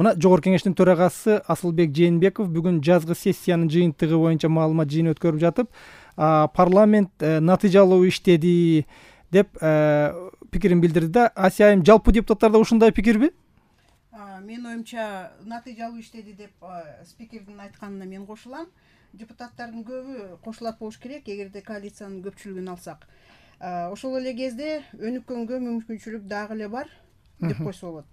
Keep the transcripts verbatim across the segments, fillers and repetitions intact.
Мына Жогорку Кеңештин төрагасы Асылбек Жээнбеков бүгүн жазгы сессиянын жыйынтыгы боюнча маалымат жыйын өткөрүп жатып, парламент натыйжалуу иштеди деп пикирин билдирди да. Асия айым, жалпы депутаттар да ушундай пикирби? Менин оюмча натыйжалуу иштеди деп спикердин айтканына мен кошулам. Депутаттардын көбү кошулат болуш керек, эгерде коалициянын көпчүлүгүн алсак. Ошол эле кезде өнүккөнгө мүмкүнчүлүк дагы эле бар деп койсо болот.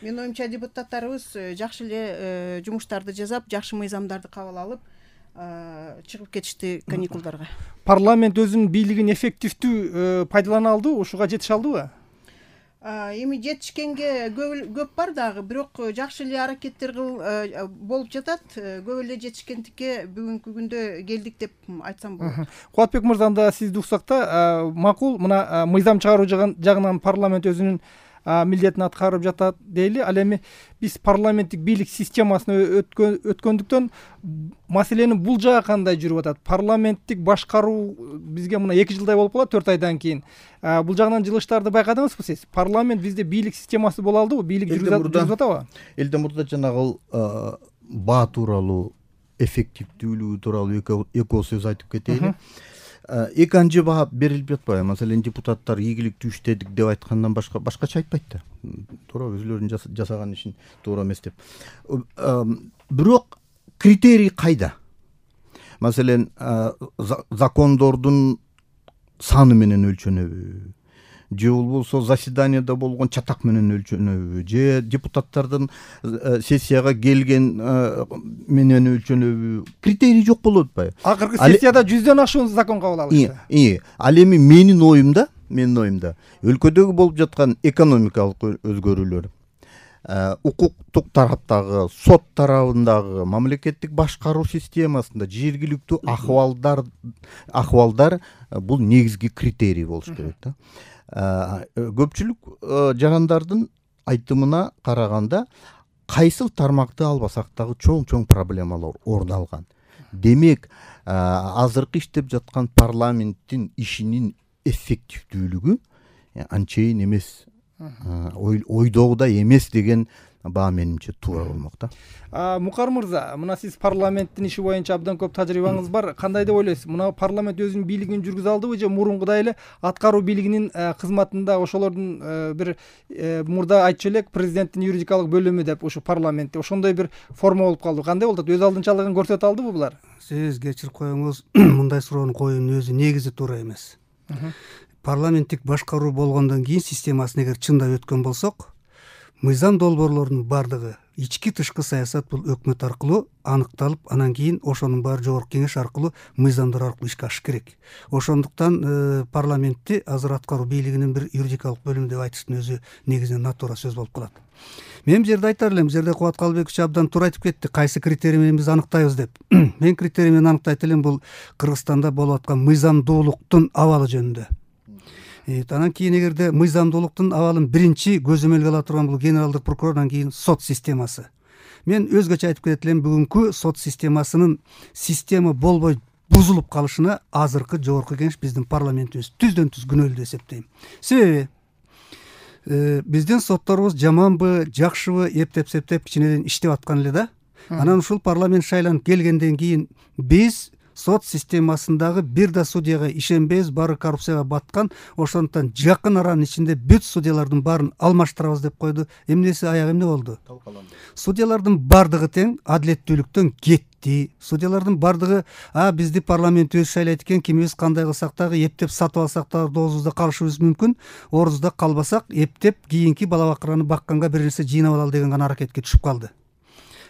Менин оюмча депутаттарыбыз жакшы эле жумуштарды жасап, жакшы мыйзамдарды кабыл алып, чыгып кетишти каникулдарга. Парламент өзүнүн бийлигин эффективдүү пайдалана алдыбы, ушуга жетише алдыбы? Эми жетишкенге көп бар дагы, бирок жакшы эле аракеттер болуп жатат. Көп эле жетишкендикке бүгүнкү күндө келдик деп айтсам болот. Кубатбек мырза, анда сизди уксак да, макул, мына мыйзам чыгаруу жагынан парламент өзүнүн милдетин аткарып жатат дейли. Ал эми биз парламенттик бийлик системасына өткөндүктөн маселенин бул жагы кандай жүрүп атат? Парламенттик башкаруу бизге мына эки жылдай болуп калат, төрт айдан кийин. Бул жагынан жылыштарды байкадыңызбы сиз? Парламент бизде бийлик системасы боло алдыбы? Бийлик жүрүп атабы? Элден мурда жанагы баа тууралуу, эффективдүүлүгү тууралуу эки сөз айтып кетейли. Эки анча баа берилип жатпайбы? Маселен, депутаттар ийгиликтүү иштедик деп айткандан башка башкача айтпайт да. Туура өзүлөрүнүн жасаган ишин туура эмес деп. Бирок критерий кайда? Маселен, закондордун саны менен өлчөнөбү, же болбосо заседанияда болгон чатак менен өлчөнөбү, же депутаттардын сессияга келген менен өлчөнөбү? Критерий жок болуп атпайбы? Акыркы сессияда жүздөн ашуун закон кабыл алышты. Ал эми менин оюмда, менин оюмда өлкөдөгү болуп жаткан экономикалык өзгөрүүлөр, укуктук тараптагы, сот тарабындагы, мамлекеттик башкаруу системасында жергиликтүү акыбалдар акыбалдар бул негизги критерий болуш керек да. Көпчүлүк жарандардын айтымына караганда кайсыл тармакты албасак дагы чоң-чоң проблемалар орун алган. Демек, азыркы иштеп жаткан парламенттин ишинин эффективдүүлүгү анчейин эмес, ойдогудай эмес деген баа менимче туура болмок да. Мукар мырза, мына сиз парламенттин иши боюнча абдан көп тажрыйбаңыз бар. Кандай деп ойлойсуз? Мына парламент өзүнүн бийлигин жүргүзө алдыбы, же мурункудай эле аткаруу бийлигинин кызматында ошолордун бир мурда айтчу элек президенттин юридикалык бөлүмү деп ушу парламентте ошондой бир форма болуп калды. Кандай болот? Өз алдынчалыгын көрсөтө алдыбы булар? Сиз кечирип коюңуз, мындай суроону коюунун өзү негизи туура эмес. Парламенттик башкаруу болгондон кийин системасын эгер чындап өткөн болсок, мыйзам долбоорлорунун бардыгы, ички тышкы саясат бул өкмөт аркылуу аныкталып, анан кийин ошонун баары Жогорку Кеңеш аркылуу, мыйзамдар аркылуу ишке ашыш керек. Ошондуктан парламентти азыр аткаруу бийлигинин бир юридикалык бөлүмү деп айтыштын өзү негизинен натуура сөз болуп калат. Мен бул жерде айтар элем, бул жерде Кубат Калыбекович абдан туура айтып кетти, кайсы критерий менен биз аныктайбыз деп. Мен критерий менен аныктайт элем, бул Кыргызстанда болуп аткан мыйзамдуулуктун абалы жөнүндө. Анан кийин эгерде мыйзамдуулуктун абалын биринчи көзөмөлгө ала турган бул генералдык прокурордон кийин сот системасы. Мен өзгөчө айтып кетет элем, бүгүнкү сот системасынын система болбой бузулуп калышына азыркы Жогорку Кеңеш, биздин парламентибиз түздөн түз күнөөлүү деп эсептейм. Себеби биздин сотторубуз жаманбы, жакшыбы эптеп-септеп кичинеден иштеп аткан эле да. Анан ушул парламент шайланып келгенден кийин биз сот системасындагы бир да судьяга ишенбейбиз, баары коррупцияга баткан, ошондуктан жакын аранын ичинде бүт судьялардын баарын алмаштырабыз деп койду. Эмнеси аягы эмне болду? Судьялардын бардыгы тең адилеттүүлүктөн кетти. Судьялардын бардыгы, а бизди парламентибиз шайлайт экен, кимибиз кандай кылсак дагы эптеп сатып алсак дагы доозубузда калышыбыз мүмкүн, ордубузда калбасак эптеп кийинки бала бакыраны бакканга бир нерсе жыйнап алалы деген гана аракетке түшүп калды.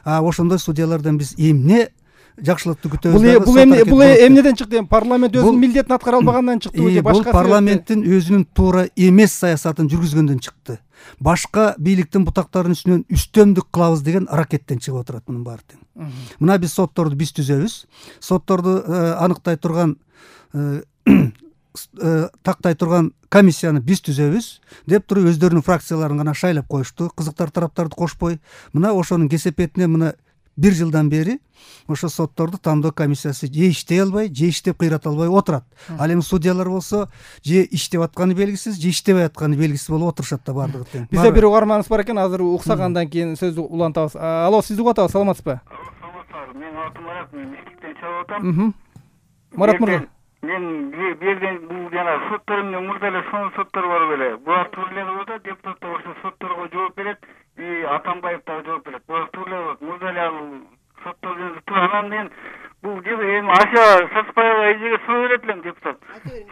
А ошондой судьялардан биз эмне жакшылыкты күтөбүз? Бул эмне бул эмнеден чыкты? Парламент өзүнүн милдетин аткара албагандан чыктыбы же башка? Бул парламенттин өзүнүн туура эмес саясатын жүргүзгөндөн чыкты. Башка бийликтин бутактарынын үстүнөн үстөмдүк кылабыз деген аракеттен чыгып отурат мунун баары тең. Мына биз сотторду биз түзөбүз. Сотторду аныктай турган, тактай турган комиссияны биз түзөбүз деп туруп өздөрүнүн фракцияларын гана шайлап коюшту. Кызыктар тараптарды кошпой, мына ошонун кесепетине мына бир жылдан бери ошо сотторду тандоо комиссиясы же иштей албай же иштеп кыйрата албай отурат. Ал эми судьялар болсо же иштеп атканы белгисиз же иштебей атканы белгисиз болуп отурушат да баардыгы тең. Бизде бир угарманыбыз бар экен, азыр уксагандан кийин сөздү улантабыз. Алло, сизди угуп атабыз, саламатсызбы? Менин атым Марат, мен Миштиктен чалып атам. Марат мырза. Мен берген бул жана соттор менен мурда эле сонун соттор бар беле. Булар түрлөнүп болот, депутаттар ошо сотторго жооп берет, и Атамбаев дагы жооп берет. Булар түрлөнүп болот. Мурда эле ал соттор менен тургандан кийин бул эми Аша Сатпаева эжеге суроо берет элем депутат.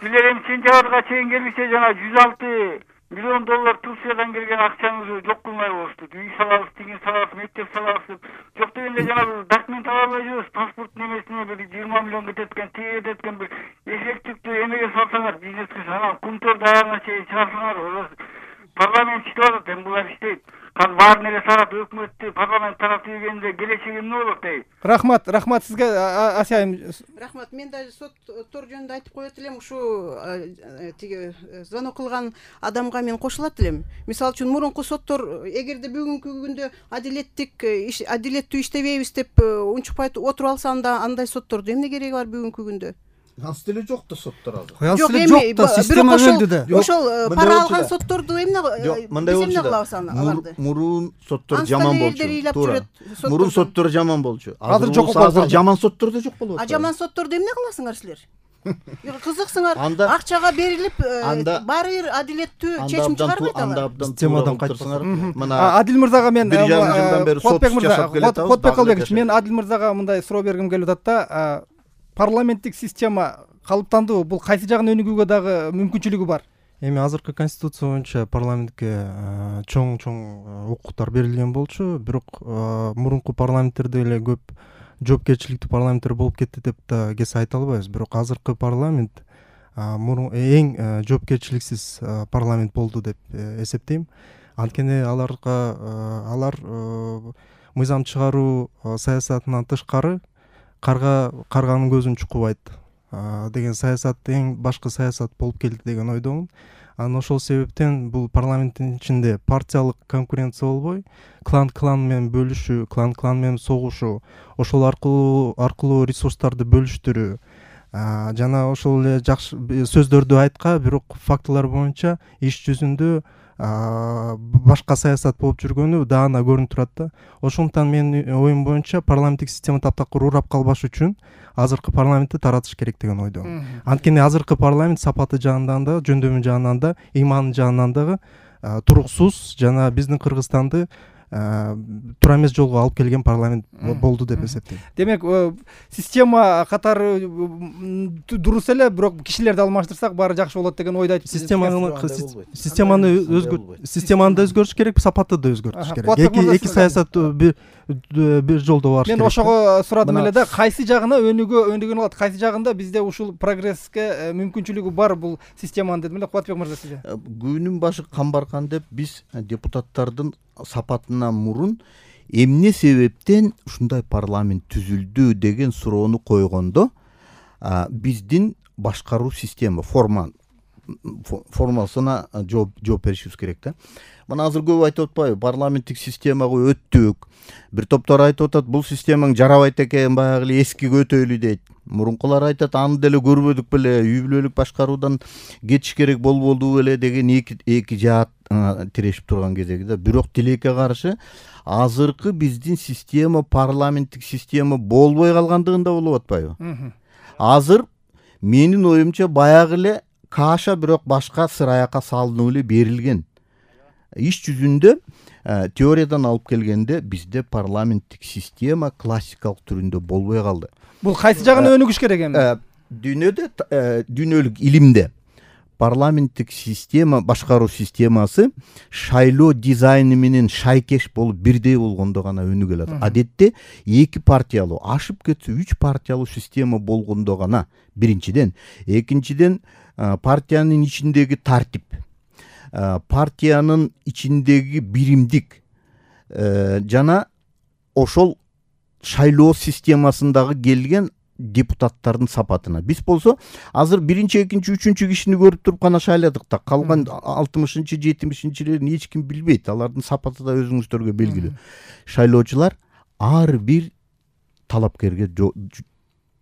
Силер эми сентябрга чейин келишсе жана жүз алты миллион доллар Турциядан келген акчаңызды жок кылмай болушту. Үй салабыз, тигин салабыз, мектеп салабыз деп. Жок дегенде жана документ ала албай жүрөбүз. Паспорт немесине бир жыйырма миллион кетет экен, тиги кетет экен, бир эффективдүү эмеге салсаңар, бизнеске сана кумторду аягына чейин чыгарсаңар, парламент иштеп атат, эми булар иштейт. Кан баарын эле сарап өкмөттү, парламент тарап ийгенде келечеги эмне болот дейт. Рахмат, рахмат сизге, Асия. Рахмат. Мен дагы соттор жөнүндө айтып коет элем, ушу тиги звонок кылган адамга мен кошулат элем. Мисалы үчүн мурунку соттор эгерде бүгүнкү күндө адилеттик адилеттүү иштебейбиз деп унчукпай отуруп алса, анда андай соттордун эмне кереги бар бүгүнкү күндө? Ансы деле жок да соттор азыр. Ансы деле жок да, система өлдү да. Ошол пара алган сотторду эмне мындай эмне кылабыз аларды? Мурун соттор жаман болчу. Туура. Мурун соттор жаман болчу. Азыр жок. Азыр жаман соттор да жок болуп атат. А жаман сотторду эмне кыласыңар силер? Кызыксыңар, акчага берилип, баары бир адилеттүү чечим чыгарбайт алар. Системадан кайтсаңар. Мына Адил мырзага мен бир жарым жылдан бери сот жашап келет. Котбек Калбекович, мен Адил мырзага мындай суроо бергим келип атат да, парламенттик система калыптандыбы? Бул кайсы жагын өнүгүүгө дагы мүмкүнчүлүгү бар? Эми азыркы конституция боюнча парламентке чоң-чоң укуктар берилген болчу, бирок мурунку парламенттерде эле көп жоопкерчиликтүү парламенттер болуп кетти деп да кесе айта албайбыз. Бирок азыркы парламент мурун эң жоопкерчиликсиз парламент болду деп эсептейм. Анткени аларга алар мыйзам чыгаруу саясатынан тышкары карга карганын көзүн чукубайт деген саясат эң башкы саясат болуп келди деген ойдомун. Анан ошол себептен бул парламенттин ичинде партиялык конкуренция болбой, клан клан менен бөлүшүү, клан клан менен согушуу, ошол аркылуу аркылуу ресурстарды бөлүштүрүү жана ошол эле жакшы сөздөрдү айткан, бирок фактылар боюнча иш жүзүндө башка саясат болуп жүргөнү даана көрүнүп турат да. Ошондуктан менин оюм боюнча парламенттик система таптакыр урап калбаш үчүн азыркы парламентти таратыш керек деген ойдомун. Анткени азыркы парламент сапаты жагынан да, жөндөмү жагынан да, ыйманы жагынан дагы туруксуз жана биздин Кыргызстанды туура эмес жолго алып келген парламент болду деп эсептейм. Демек, система катары дурус эле, бирок кишилерди алмаштырсак баары жакшы болот деген ойду айтып. Системаны системаны өзгөр системаны да өзгөртүш керек, сапатты да өзгөртүш керек. Эки эки саясат бир бир жолдо барыш керек. Мен ошого сурадым эле да, кайсы жагына өнүгө өнүгөн алат, кайсы жагында бизде ушул прогресске мүмкүнчүлүгү бар бул системанын дедим эле. Кубатбек мырза, сизде? Күнүн башы камбаркан деп биз депутаттардын сапатынан мурун эмне себептен ушундай парламент түзүлдү деген суроону койгондо биздин башкаруу система форма формасына жооп жооп беришибиз керек да. Мына азыр көп айтып атпайбы, парламенттик системага өттүк. Бир топтор айтып атат, бул системаң жарабайт экен, баягы эле эскиге өтөйлү дейт. Мурункулар айтат, аны деле көрбөдүк беле, үй бүлөлүк башкаруудан кетиш керек болбоду беле деген эки эки жаат тирешип турган кезеги да. Бирок тилекке каршы азыркы биздин система парламенттик система болбой калгандыгында болуп атпайбы? Азыр менин оюмча баягы эле каша, бирок башка сыр аякка салынып эле берилген. Иш жүзүндө теориядан алып келгенде бизде парламенттик система классикалык түрүндө болбой калды. Бул кайсы жагына өнүгүш керек эми? Дүйнөдө, дүйнөлүк илимде парламенттик система, башкаруу системасы шайлоо дизайны менен шайкеш болуп бирдей болгондо гана өнүгө алат. Адетте эки партиялуу, ашып кетсе үч партиялуу система болгондо гана биринчиден, экинчиден партиянын ичиндеги тартип, партиянын ичиндеги биримдик жана ошол шайлоо системасындагы келген депутаттардын сапатына. Биз болсо азыр биринчи, экинчи, үчүнчү кишини көрүп туруп гана шайладык да, калган алтымышынчы, жетимишинчилерин эч ким билбейт. Алардын сапаты да өзүңүздөргө белгилүү. Шайлоочулар ар бир талапкерге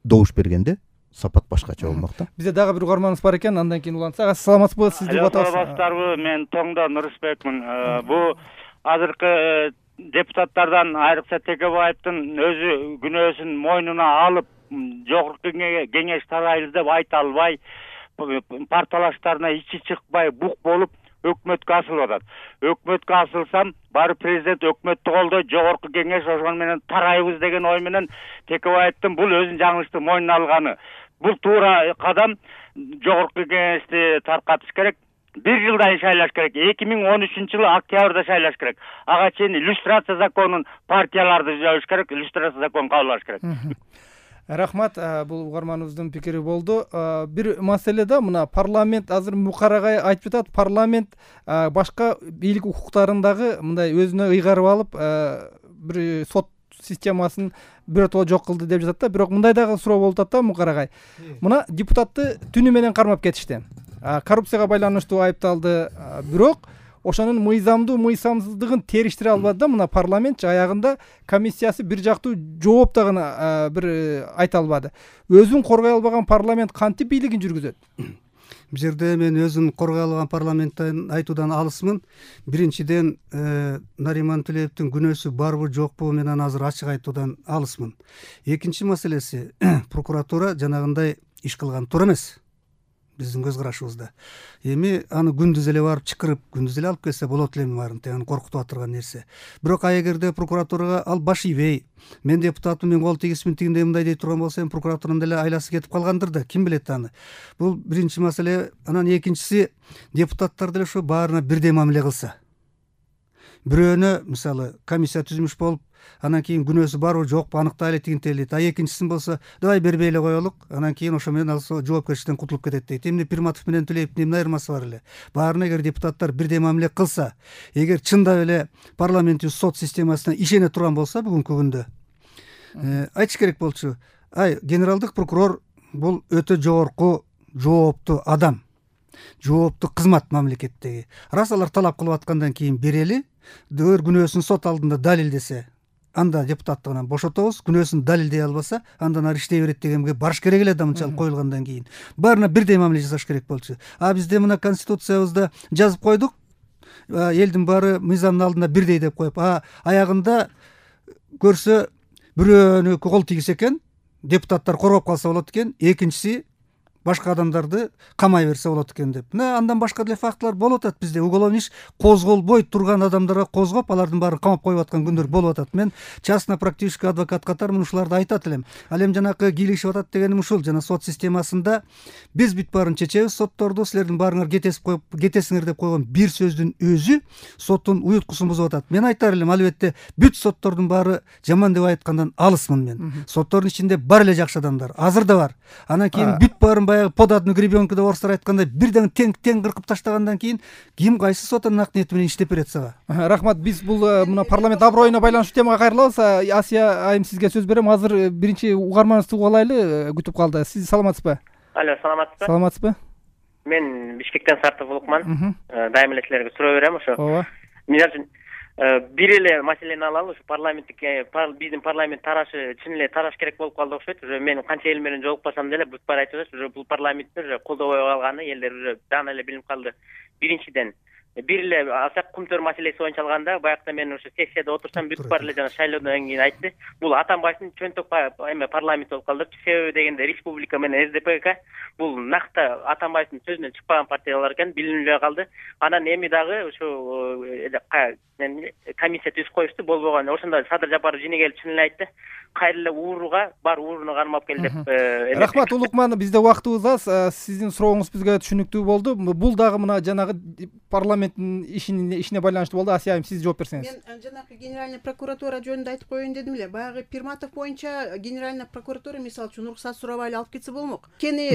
добуш бергенде сапат башкача болмок да. Бизде дагы бир угарманыбыз бар экен, андан кийин улантсак. Саламатсызбы, сизди угуп атабыз. Саламатсыздарбы? Мен Тоңдон Нурсбекмин. Бу азыркы депутаттардан айрыкча Текебаевдин өзү күнөөсүн мойнуна алып, жогорку кеңеш тарайлы деп айта албай, парталаштарына ичи чыкпай, бук болуп өкмөткө асылып атат. Өкмөткө асылсам, баары президент өкмөттү колдойт, жогорку кеңеш ошон менен тарайбыз деген ой менен Текебаевдин бул өзүнүн жаңылышты мойнуна алганы. Бул туура кадам. Жогорку кеңешти таркатыш керек. Бир жылдан шайлаш керек. эки миң он үчүнчү жылы октябрда шайлаш керек. Ага чейин иллюстрация законун партияларды жабыш керек, иллюстрация законун кабыл алыш керек. Рахмат, бул угарманыбыздын пикири болду. Бир маселе да, мына парламент азыр Мукарагай айтып жатат, парламент башка бийлик укуктарындагы мындай өзүнө ыйгарып алып, бир сот системасын биротоло жок кылды деп жатат да. Бирок мындай дагы суроо болуп атат да, Мукарагай. Мына депутатты түнү менен кармап кетишти. Коррупцияга байланыштуу айыпталды, бирок ошонун мыйзамдуу мыйзамсыздыгын териштире албады да. Мына парламент аягында комиссиясы бир жактуу жооп да гана бир айта албады. Өзүн коргой албаган парламент кантип бийлигин жүргүзөт? Бул жерде мен өзүн коргой алган парламенттен айтуудан алысмын. Биринчиден, Нариман Тулеевдин күнөөсү барбы жокпу, мен аны азыр ачык айтуудан алысмын. Экинчи маселеси, прокуратура жанагындай иш кылган туура эмес. Биздин көз карашыбызда. Эми аны күндүз эле барып чакырып, күндүз эле алып келсе болот эле баарын, аны коркутуп атырган нерсе. Бирок эгерде прокуратурага ал баш ийбей, мен депутатмын, мен кол тигизмин, тигиндей мындай дей турган болсо, эми прокуратуранын деле айласы кетип калгандыр да, ким билет аны. Бул биринчи маселе. Анан экинчиси, депутаттар деле ошо баарына бирдей мамиле кылса. Бирөөнө, мисалы, комиссия түзмүш болуп, анан кийин күнөөсү барбы жокпу аныктайлы тигинтели дейт. А экинчисин болсо, давай бербей эле коелук, анан кийин ошо менен ал жоопкерчиликтен кутулуп кетет дейт. Эмне Пирматов менен Тулеевдин эмне айырмасы бар эле? Баарына эгер депутаттар бирдей мамиле кылса, эгер чындап эле парламенттик сот системасына ишене турган болсо бүгүнкү күндө, айтыш керек болчу. Ай, генералдык прокурор бул өтө жогорку жооптуу адам, жооптуу кызмат мамлекеттеги. Раз алар талап кылып аткандан кийин берели, эгер күнөөсүн сот алдында далилдесе, анда депутаттыгынан бошотобуз, күнөөсүн далилдей албаса, андан ары иштей берет дегенге барыш керек эле да, мынчалык коюлгандан кийин. Баарына бирдей мамиле жасаш керек болчу. А бизде мына конституциябызда жазып койдук, элдин баары мыйзамдын алдында бирдей деп коюп, а аягында көрсө бирөөнү кол тийгисе экен, депутаттар коргоп калса болот экен, экинчиси башка адамдарды камай берсе болот экен деп. Мына андан башка деле фактылар болуп атат бизде. Уголовный иш козголбой турган адамдарга козгоп, алардын баарын камап коюп аткан күндөр болуп атат. Мен частно практический адвокат катары мына ушуларды айтат элем. Ал эми жанакы кийлигишип атат дегеним ушул. Жана сот системасында биз бүт баарын чечебиз сотторду, силердин баарыңар кетесип коюп, кетесиңер деп койгон бир сөздүн өзү соттун уюткусун бузуп атат. Мен айтар элем, албетте бүт соттордун баары жаман деп айткандан алысмын мен. Соттордун ичинде бар эле жакшы адамдар, азыр да бар. Анан кийин бүт баарын баягы под одну гребенку деп орустар айткандай бирден тең тең кыркып таштагандан кийин ким кайсы соттун ак ниети менен иштеп берет сага? Рахмат. Биз бул мына парламент аброюна байланыштуу темага кайрылабыз. Асия айым, сизге сөз берем. Азыр биринчи угарманыбызды угуп алайлы, күтүп калды. Сиз саламатсызбы? Алло, саламатсызбы? Саламатсызбы? Мен Бишкектен Сартов Улукман. Дайыма эле силерге суроо берем ошо. Ооба. Мисалы үчүн бир эле маселени алалы, ушу парламенттик биздин парламент тарашы чын эле тараш керек болуп калды окшойт. Уже мен канча эл менен жолукпасам деле бүт баары айтып жатат, уже бул парламентти уже колдобой калганы элдер уже жана эле билинип калды. Биринчиден бир эле алсак кумтөр маселеси боюнча алганда, баягыда мен ошо сессияда отурсам бүт баары эле жана шайлоодон кийин айтты. Бул Атамбаевдин чөнтөк эме парламент болуп калды. Себеби дегенде республика менен эс де пэ ка бул накта Атамбаевдин сөзүнөн чыкпаган партиялар экен, билинип калды. Анан эми дагы ошо комиссия түзүп коюшту, болбогон. Ошондо Садыр Жапаров жине келип чын эле айтты. Кайра эле ууруга бар ууруну кармап кел деп. Рахмат Улукман, бизде убактыбыз аз. Сиздин сурооңуз бизге түшүнүктүү болду. Бул дагы мына жанагы парламенттин ишине ишине байланыштуу болду. Асия айым, сиз жооп берсеңиз. Мен жанагы генеральный прокуратура жөнүндө айтып коеюн дедим эле. Баягы Пирматов боюнча генеральный прокуратура мисалы үчүн уруксат сурабай эле алып кетсе болмок. Кени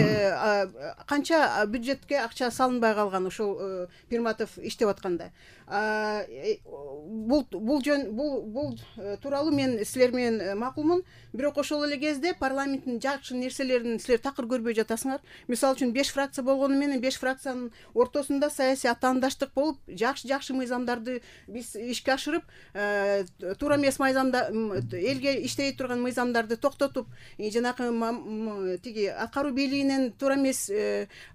канча бюджетке акча салынбай калган ошол Пирматов иштеп атканда. Бул бул жөн бул бул тууралуу мен силер менен макулмун. Бирок ошол эле кезде парламенттин жакшы нерселерин силер такыр көрбөй жатасыңар. Мисалы үчүн беш фракция болгону менен беш фракциянын ортосунда саясий атаандаштык болуп жакшы жакшы мыйзамдарды биз ишке ашырып, туура эмес мыйзамда элге иштей турган мыйзамдарды токтотуп, жанагы тиги аткаруу бийлигинен туура эмес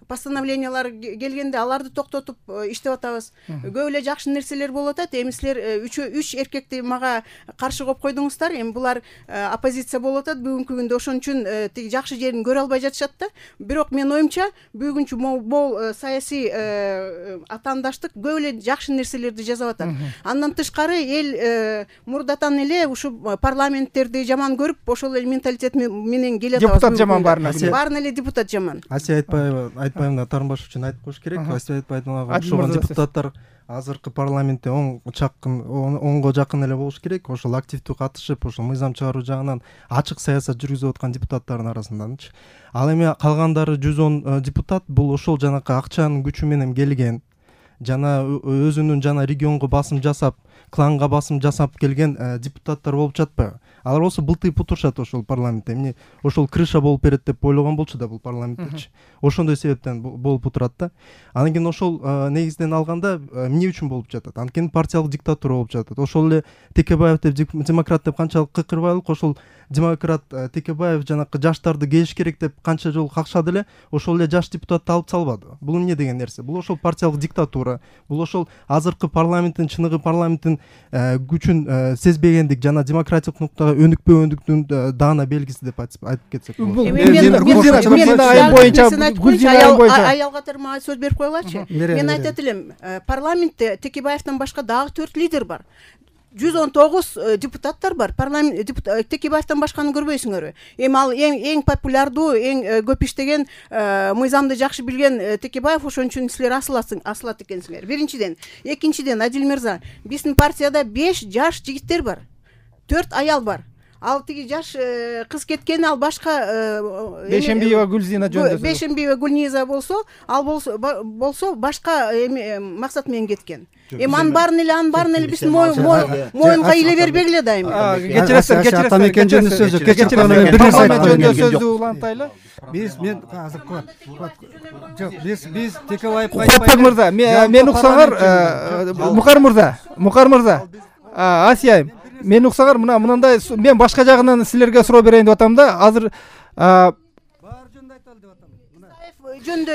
постановлениялар келгенде аларды токтотуп иштеп атабыз. Көп эле жакшы нерселер болуп атат. Эми силер үч эркекти мага каршы коюп койдуңуздар. Эми булар оппозиция болуп атат бүгүнкү күндө, ошон үчүн тиги жакшы жерин көрө албай жатышат да. Бирок мен оюмча бүгүнчү могул саясий атаандаштык көп эле жакшы нерселерди жасап атат. Андан тышкары эл мурдатан эле ушу парламенттерди жаман көрүп, ошол эле менталитет менен келе атабыз. Депутат жаман баарына. Баарына эле депутат жаман. Асия Айтбаева, Айтбаевдин Тарынбаш үчүн айтып коюш керек. Асия Айтбаевага окшогон депутаттар азыркы парламентте оң чакын оңго жакын эле болуш керек. Ошол активдүү катышып, ошол мыйзам чыгаруу жагынан ачык саясат жүргүзүп аткан депутаттардын арасынданчы. Ал эми калгандары жүз он депутат бул ошол жанакы акчанын күчү менен келген, жана өзүнүн жана регионго басым жасап, кланга басым жасап келген депутаттар болуп жатпайбы? Алар болсо былтый путурушат ошол парламентте. Эмне ошол крыша болуп берет деп ойлогон болчу да бул парламенттечи. Ошондой себептен болуп турат да. Анан кийин ошол негизден алганда эмне үчүн болуп жатат? Анткени партиялык диктатура болуп жатат. Ошол эле Текебаев деп, демократ деп канчалык кыкырбайлык, ошол демократ Текебаев жанакы жаштарды келиш керек деп канча жолу какшады эле, ошол эле жаш депутатты алып салбады. Бул эмне деген нерсе? Бул ошол партиялык диктатура. Бул ошол азыркы парламенттин, чыныгы парламенттин күчүн сезбегендик жана демократиялык нуктага өнүкпөгөндүктүн даана белгиси деп айтып кетсек болот. Аял катары мага сөз берип койгулачы. Мен айтат элем, парламентте Текебаевден башка дагы төрт лидер бар. жүз он тогуз депутаттар бар. Парламент Текебаевден башканы көрбөйсүңөрбү? Эми ал эң эң популярдуу, эң көп иштеген, мыйзамды жакшы билген Текебаев, ошон үчүн силер асыласың, асылат экенсиңер. Биринчиден, экинчиден, Адил мырза, биздин партияда беш жаш жигиттер бар. төрт аял бар. Ал тиги жаш кыз кеткен, ал башка Бейшембиева Гүлзина жөнүндө. Бейшембиева Гүлниза болсо, ал болсо болсо башка максат менен кеткен. Эми анын баарын эле, анын баарын эле биздин моюнга иле бербегиле дайым. Кечиресиз, кечиресиз. Атамекен жөнүндө сөзү, кечиресиз. Бир нерсе айтып жөнүндө сөздү улантайлы. Биз мен азыр жок, биз биз Текебаев Куатбек мырза, мен уксаңар, Мукар мырза, Мукар мырза. Асия, мен уксаңар, мына мындай мен башка жагынан силерге суроо берейин деп атам да. Азыр жөнүндө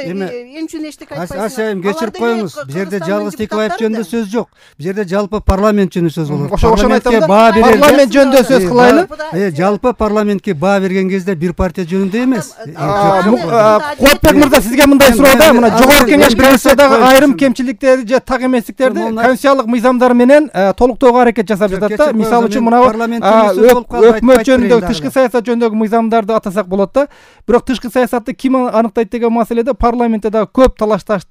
эмчүн эчтеке айтпайсыңар. Асайым, кечирип коюңуз. Бул жерде жалгыз Текебаев жөнүндө сөз жок. Бул жерде жалпы парламент жөнүндө сөз болот. Ошон айтам да, парламент жөнүндө сөз кылайлы. Э, жалпы парламентке баа берген кезде бир партия жөнүндө эмес. Куатбек мырза, сизге мындай суроо да, мына жогорку кеңеш бирөөсүдөгү айрым кемчиликтерди же так эместиктерди конституциялык мыйзамдар менен толуктоого аракет жасап жатат да. Мисалы үчүн мына өкмөт жөнүндөгү, тышкы саясат жөнүндөгү мыйзамдарды атасак болот да. Бирок тышкы саясатты ким аныктайт деген маселеде парламентте дагы көп талаштар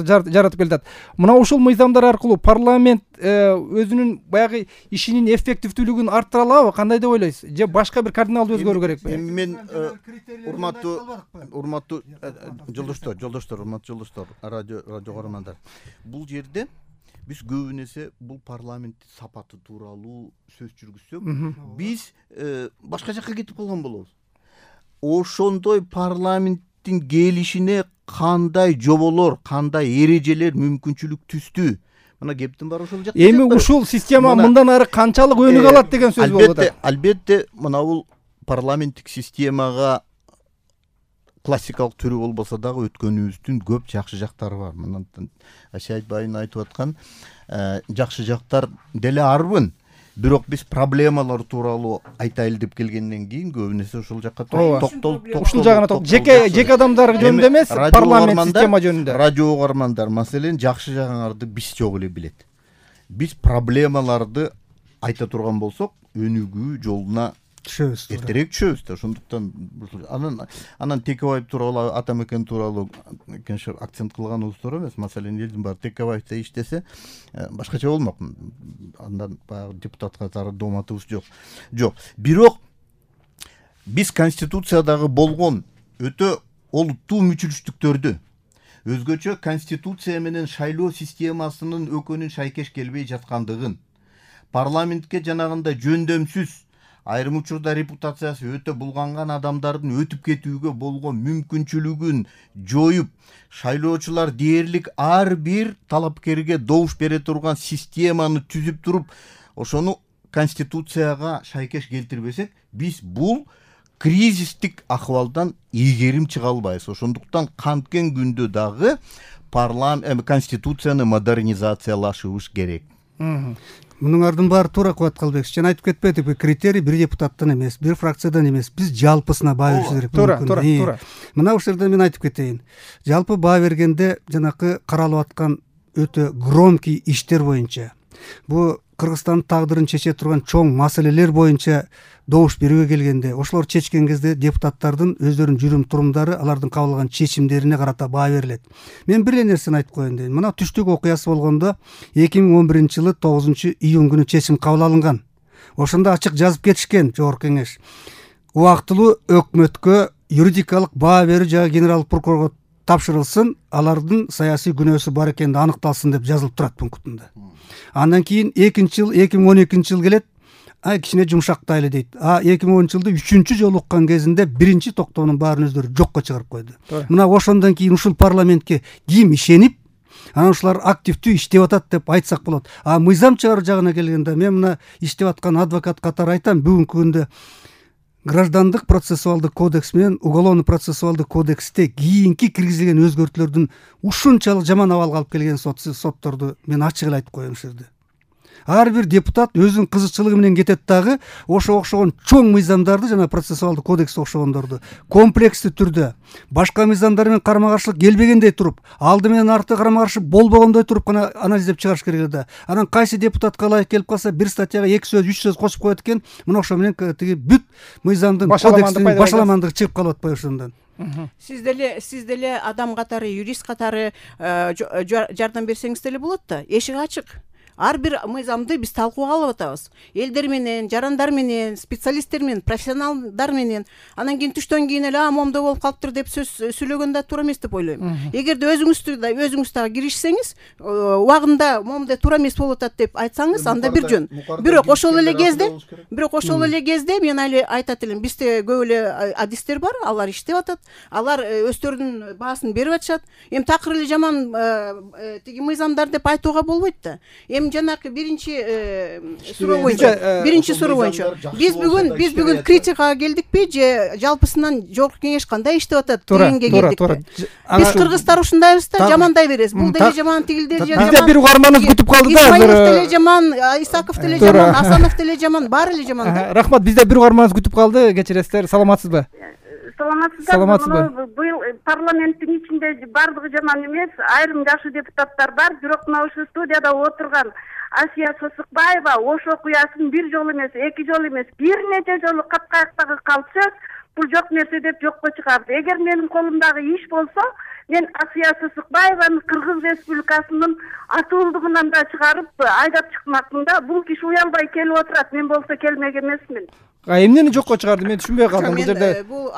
жаратып келатат. Мына ушул мыйзамдар аркылуу парламент өзүнүн баягы ишинин эффективдүүлүгүн арттыра алабы? Кандай деп ойлойсуз? Же башка бир кардиналдуу өзгөрүү керекпи? Эми мен урматтуу урматтуу жолдоштор, жолдоштор, урматтуу жолдоштор, радио радио көрөрмандар. Бул жерде биз көбүнесе бул парламенттин сапаты тууралуу сөз жүргүзсөк, биз башка жакка кетип калган болобуз. Ошондой парламенттин келишине кандай жоболор, кандай эрежелер мүмкүнчүлүк түздү? Мына кептин баары ошол жакта. Эми ушул система мындан ары канчалык өнүгө алат деген сөз болуп атат. Албетте, албетте, мына бул парламенттик системага классикалык түрү болбосо дагы өткөнүбүздүн көп жакшы жактары бар. Мына Асия Айтбаевдин айтып аткан жакшы жактар деле арбын. Бирок биз проблемалар тууралуу айтайлы деп келгенден кийин көбүнесе ошол жакка токтолуп, ушул жагына токтолуп, жеке жеке адамдар жөнүндө эмес, парламент система жөнүндө. Радио угармандар маселен жакшы жагыңарды биз жок эле билет. Биз проблемаларды айта турган болсок, өнүгүү жолуна түшөбүз. Эртерээк түшөбүз да. Ошондуктан анан анан Текебаев тууралуу, Атамекен тууралуу кенше акцент кылганыбыз туура эмес. Маселен элдин баары Текебаевде иштесе башкача болмок. Андан баягы депутат катары дооматыбыз жок. Жок. Бирок биз конституциядагы болгон өтө олуттуу мүчүлүштүктөрдү, өзгөчө конституция менен шайлоо системасынын өкөнүн шайкеш келбей жаткандыгын, парламентке жанагындай жөндөмсүз айрым учурда репутациясы өтө булганган адамдардын өтүп кетүүгө болгон мүмкүнчүлүгүн жоюп, шайлоочулар дээрлик ар бир талапкерге добуш бере турган системаны түзүп туруп, ошону конституцияга шайкеш келтирбесек, биз бул кризистик акыбалдан ийгерим чыга албайбыз. Ошондуктан канткен күндө дагы парламент конституцияны модернизациялашыбыз керек. Мунун ардын баары туура Кубат Калбеков жана айтып кетпедикпи, критерий бир депутаттан эмес, бир фракциядан эмес, биз жалпысына баа беришибиз керек. Туура, туура, туура. Мына ушул жерде мен айтып кетейин. Жалпы баа бергенде жанакы каралып аткан өтө громкий иштер боюнча, бу Кыргызстандын тагдырын чече турган чоң маселелер боюнча добуш берүүгө келгенде, ошолор чечкен кезде депутаттардын өздөрүнүн жүрүм турумдары, алардын кабыл алган чечимдерине карата баа берилет. Мен бир эле нерсени айтып коеюн дейм. Мына түштүк окуясы болгондо эки миң он биринчи жылы тогузунчу июнь күнү чечим кабыл алынган. Ошондо ачык жазып кетишкен Жогорку Кеңеш. Убактылуу өкмөткө юридикалык баа берүү жагы генералдык прокурорго тапшырылсын, алардын саясий күнөөсү бар экени аныкталсын деп жазылып турат пунктунда. Андан кийин экинчи жыл эки миң он экинчи жыл келет, ай кичине жумшактайлы дейт. А эки миң онунчу жылда үчүнчү жолу уккан кезинде биринчи токтоонун баарын өздөрү жокко чыгарып койду. Мына ошондон кийин ушул парламентке ким ишенип, анан ушулар активдүү иштеп атат деп айтсак болот. А мыйзам чыгаруу жагына келгенде, мен мына иштеп аткан адвокат катары айтам, бүгүнкү күндө граждандык процессуалдык кодекс менен уголовно процессуалдык кодексте кийинки киргизилген өзгөртүүлөрдүн ушунчалык жаман абалга алып келген сотторду мен ачык эле айтып коеюн ушул жерде. Ар бир депутат өзүнүн кызыкчылыгы менен кетет дагы ошо окшогон чоң мыйзамдарды жана процессуалдык кодексте окшогондорду комплекстүү түрдө башка мыйзамдар менен карама каршылык келбегендей туруп, алды менен арты карама каршы болбогондой туруп гана анализдеп чыгарыш керек да. Анан кайсы депутатка ылайык келип калса, бир статьяга эки сөз, үч сөз кошуп коет экен, мына ошо менен тиги бүт мыйзамдын кодекстин башаламандыгы чыгып калып атпайбы ошондон. Сиз деле сиз деле адам катары, юрист катары жардам берсеңиз деле болот да. Эшик ачык. Ар бир мыйзамды биз талкууга алып атабыз. Элдер менен, жарандар менен, специалисттер менен, профессионалдар менен. Анан кийин түштөн кийин эле а момдо болуп калыптыр деп сөз сүйлөгөн да туура эмес деп ойлойм. Эгерде өзүңүздү да өзүңүз дагы киришсеңиз, убагында момдо туура эмес болуп атат деп айтсаңыз, анда бир жөн. Бирок ошол эле кезде, бирок ошол эле кезде мен али айтат элем, бизде көп эле адистер бар, алар иштеп атат, алар өздөрүнүн баасын берип атышат. Эми такыр эле жаман тиги мыйзамдар деп айтууга болбойт да. Жанакы биринчи суроо боюнча, биринчи суроо боюнча биз бүгүн биз бүгүн критикага келдикпи же жалпысынан Жогорку Кеңеш кандай иштеп атат дегенге келдикпи? Биз кыргыздар ушундайбыз да, жамандай беребиз. Бул деле жаман, тигил деле жаман. Бизде бир угарманыбыз күтүп калды да. Исмаилов деле жаман, Исаков деле жаман, Асанов деле жаман, баары эле жаман. Рахмат, бизде бир угарманыбыз күтүп калды. Кечиресиздер, саламатсызбы? Саламатсызбы? Быйыл парламенттин ичинде бардыгы жаман эмес, айрым жакшы депутаттар бар, бирок мына ушул студияда отурган Асия Сосукбаева ош окуясын бир жолу эмес, эки жолу эмес, бир нече жолу капкаяктагы калчы бул жок нерсе деп жокко чыгарды. Эгер менин колумдагы иш болсо, мен Асия Сосукбаеваны Кыргыз Республикасынын атуулдугунан да чыгарып айдап чыкмакмын да. Бул киши уялбай келип отурат, мен болсо келмек эмесмин. Эмнени жокко чыгарды, мен түшүнбөй калдым бул жерде. Бул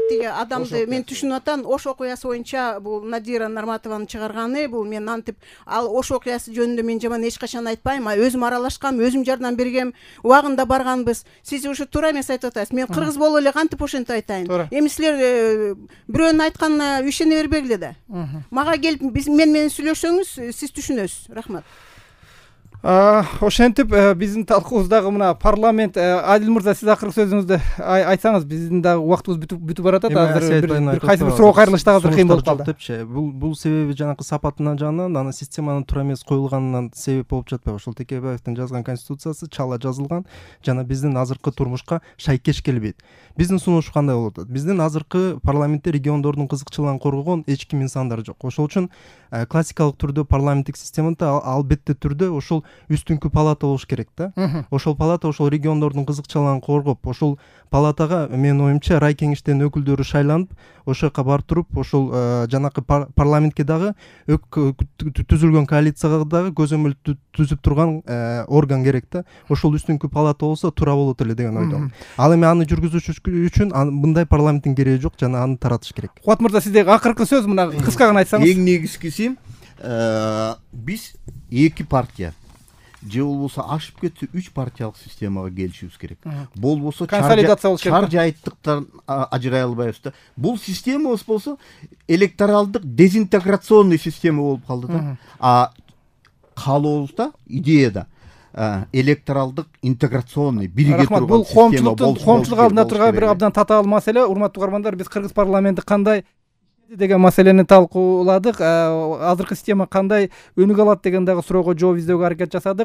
тиги адамды мен түшүнүп атам, Ош окуясы боюнча бул Надира Нарматованын чыгарганы, бул мен антип ал Ош окуясы жөнүндө мен жаман эч качан айтпайм, өзүм аралашкам, өзүм жардам бергем, убагында барганбыз. Сиз ушу туура эмес айтып атасыз. Мен кыргыз болуп эле кантип ошентип айтайын? Эми силер бирөөнүн айтканына ишене бербегиле да. Мага келип биз мен менен сүйлөшсөңүз, сиз түшүнөсүз. Рахмат. Ошентип биздин талкуубуздагы мына парламент, Адил мырза, сиз акыркы сөзүңүздү айтсаңыз, биздин дагы убактыбыз бүтүп баратат. Азыр бир кайсы бир суроого кайрылышта азыр кыйын болуп калды. Бул бул себеби жанакы сапатынан жагынан, анан системанын туура эмес коюлганынан себеп болуп жатпайбы? Ошол Текебаевдин жазган конституциясы чала жазылган жана биздин азыркы турмушка шайкеш келбейт. Биздин сунуш кандай болуп атат? Биздин азыркы парламентте региондордун кызыкчылыгын коргогон эч ким инсандар жок. Ошол үчүн классикалык түрдө парламенттик системада албетте түрдө ошол үстүнкү палата болуш керек да. Ошол палата ошол региондордун кызыкчылыгын коргоп, ошол палатага менин оюмча рай кеңештеринин өкүлдөрү шайланып, ошол жака барып туруп, ошол жанакы парламентке дагы түзүлгөн коалицияга дагы көзөмөл түзүп турган орган керек да. Ошол үстүнкү палата болсо туура болот эле деген ойдомун. Ал эми аны жүргүзүш үчүн мындай парламенттин кереги жок, жана аны таратыш керек. Кубат мырза, сиздеги акыркы сөз мына кыска гана айтсаңыз. Эң негизгиси биз эки партия же болбосо ашып кетсе үч партиялык системага келишибиз керек. Болбосо консолидация болуш керек. Чар жайыттыктан ажырай албайбыз да. Бул системабыз болсо электоралдык дезинтеграционный система болуп калды да. А каалообузда идеяда электоралдык интеграционный бирге турган система болуш. Бул коомчулук алдында турган бир абдан татаал маселе. Урматтуу угармандар, биз кыргыз парламенти кандай деген маселени талкууладык. Азыркы система кандай өнүгө алат деген дагы суроого жооп издөөгө аракет жасадык.